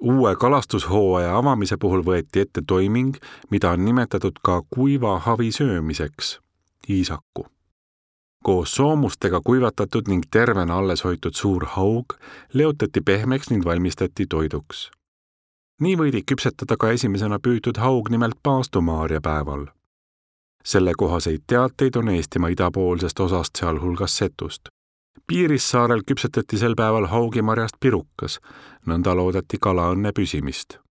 Uue kalastushooaja avamise puhul võeti ette toiming, mida on nimetatud ka kuiva havi söömiseks, iisaku. Koos soomustega kuivatatud ning tervena alles hoitud suur haug leotati pehmeks ning valmistati toiduks. Nii võidi küpsetada ka esimesena püütud haug nimelt Paastumaaria päeval. Sellekohaseid teateid on Eestimaa idapoolsest osast sealhulgas Setust. Piirissaarel küpsetati sel päeval haugimarjast pirukas, nõnda loodeti kalaõnne püsimist.